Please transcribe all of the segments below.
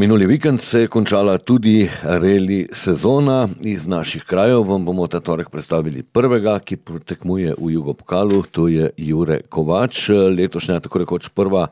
Minuli vikend se je končala tudi reli sezona. Iz naših krajev vam bomo ta torek predstavili prvega, ki tekmuje v Jugopokalu, to je Jure Kovač. Letošnja tako rekoč prva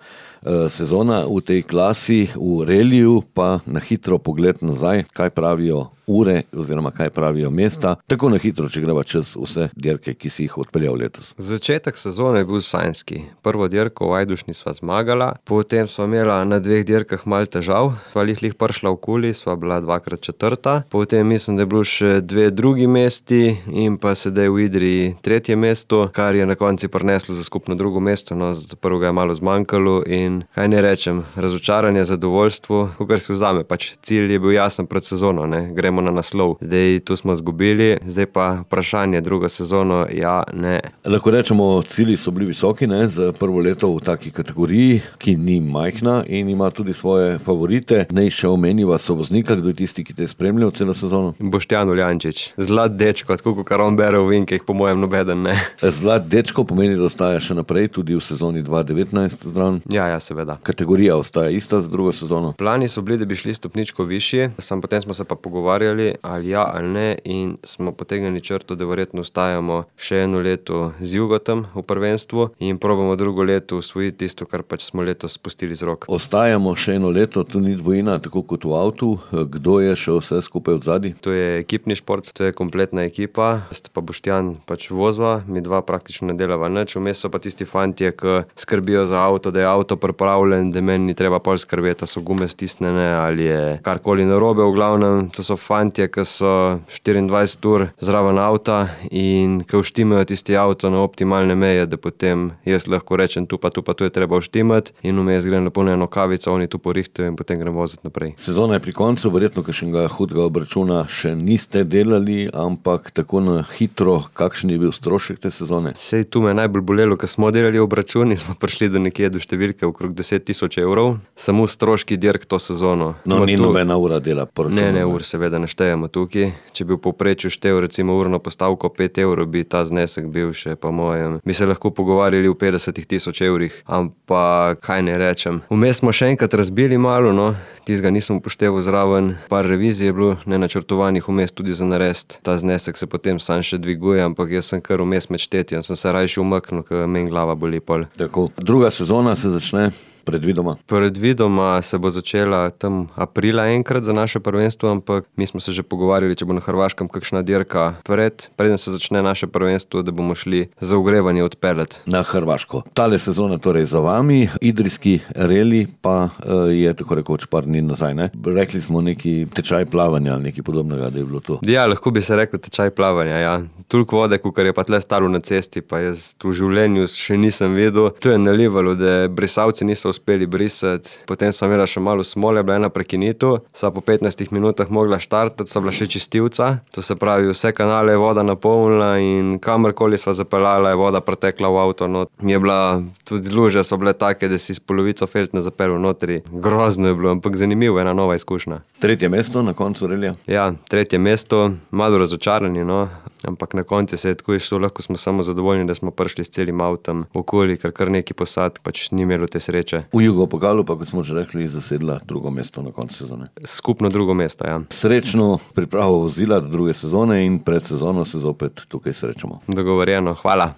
sezona v tej klasi v reliju, pa na hitro pogled nazaj, kaj pravijo ure oziroma kaj pravijo mesta. Tako na hitro, če greva čez vse dirke, ki si jih odpeljal letos. Začetek sezone je bil sanjski. Prvo dirko v Ajdovščini sva zmagala, potem sva imela na dveh dirkah malo težav, sva lih prišla v Kuli, sva bila dvakrat četrta, potem mislim, da je bilo še dve drugi mesti in pa sedaj v Idriji tretje mesto, kar je na konci prineslo za skupno drugo mesto, no za prvega je malo zmanjkalo in kaj ne rečem, razočaranje, zadovoljstvo, kakor si vzame, pač cilj je bil jasen pred sezono, ne, gremo na naslov. Zdaj tu smo zgubili, zdaj pa vprašanje drugo sezono, ja, ne. Lahko rečemo, cilji so bili visoki, ne, za prvo leto v taki kategoriji, ki ni majhna in ima tudi svoje favorite. Naj še omeniva sovoznika, kdo je tisti, ki te je spremljal celo sezono? Boštjan Uljančič. Zlat dečko, tako kot on bere v vinkih, po mojem nobeden ne. Zlat dečko pomeni, da ostaja še naprej tudi v sezoni 2019 zraven? Ja, seveda. Kategorija ostaja ista za drugo sezono? Plani so bili, da bi šli stopničko višji, potem smo se pa pogovarjali, ali ja ali ne, in smo potegnili črto, da verjetno ostajamo še eno leto z Jugotom v prvenstvu in probamo drugo leto usvojiti tisto, kar pač smo letos spustili z rok. Ostajamo še eno leto, tu ni dvojina, tako kot v avtu. Kdo je še vse skupaj odzadaj? To je ekipni šport, to je kompletna ekipa, sta pa Boštjan pač vozva, mi dva praktično ne delava nič, vmes so pa tisti fantje, ki skrbijo za avto, da je avto pripravljen, da meni ni treba pol skrbeti, da so gume stisnjene ali je karkoli narobe, v glavnem, to so fantje, ki so 24 ur zraven avta in ki uštimajo tisti avto na optimalne meje, da potem jaz lahko rečem tu pa tu je treba uštimati in vmes grem lepo na eno kavico, oni tu porihtajo in potem grem voziti naprej. Sezona je pri koncu, verjetno kakšnega hudega obračuna še niste delali, ampak tako na hitro, kakšen je bil strošek te sezone? Sej tu me je najbolj bolelo, ko smo delali obračun in smo prišli do nekje do številke okrog 10.000 evrov, samo stroški dirk to sezono. No, ni nobena ura dela poročuna. Ne, ur seveda ne štejemo tukaj. Če bi v povprečju štel recimo urno postavko 5 evrov, bi ta znesek bil še po mojem. Bi se lahko pogovarjali v 50.000 evrih, ampak kaj ne rečem. Vmes smo še enkrat razbili malo, no, tistega nisem upošteval zraven, par revizij je bilo nenačrtovanih vmes tudi za narediti. Ta znesek se potem sam še dviguje, ampak jaz sem kar vmes med štetjem, sem se rajši umaknil, ker meni glava boli pol. Tako, druga sezona se začne predvidoma? Predvidoma se bo začela tam aprila enkrat za naše prvenstvo, ampak mi smo se že pogovarjali, če bo na Hrvaškem kakšna dirka preden se začne naše prvenstvo, da bomo šli za ogrevanje odpeljati. Na Hrvaško. Tale sezona torej za vami, idrijski reli pa je tako rekoč par dni nazaj, ne? Rekli smo neki tečaj plavanja ali nekaj podobnega, da je bilo to. Ja, lahko bi se rekel tečaj plavanja, ja. Toliko vode, kakor je pa tle stalo na cesti, pa jaz v življenju še nisem videl. To je nalivalo, da brisavci niso uspeli brisati. Potem sem imela še malo smole, bila ena prekinitev, sva po 15 minutah mogla štartati, sva bila še čistilca. To se pravi, vse kanale je voda napolnila in kamorkoli sva zapeljala, je voda pretekla v avto not. Je bila, tudi luže so bile take, da si s polovico feltne zapeljal notri. Grozno je bilo, ampak zanimivo, ena nova izkušnja. Tretje mesto na koncu relija? Ja, tretje mesto, malo razočarani, no, ampak na koncu se je tako išlo, lahko smo samo zadovoljni, da smo prišli s celim avtom okoli, kar neki posadk pač ni imelo te sreče. V Jugopokalu pa, kot smo že rekli, zasedla drugo mesto na koncu sezone. Skupno drugo mesto, ja. Srečno pripravo vozila do druge sezone in pred sezono se zopet tukaj srečamo. Dogovorjeno, hvala.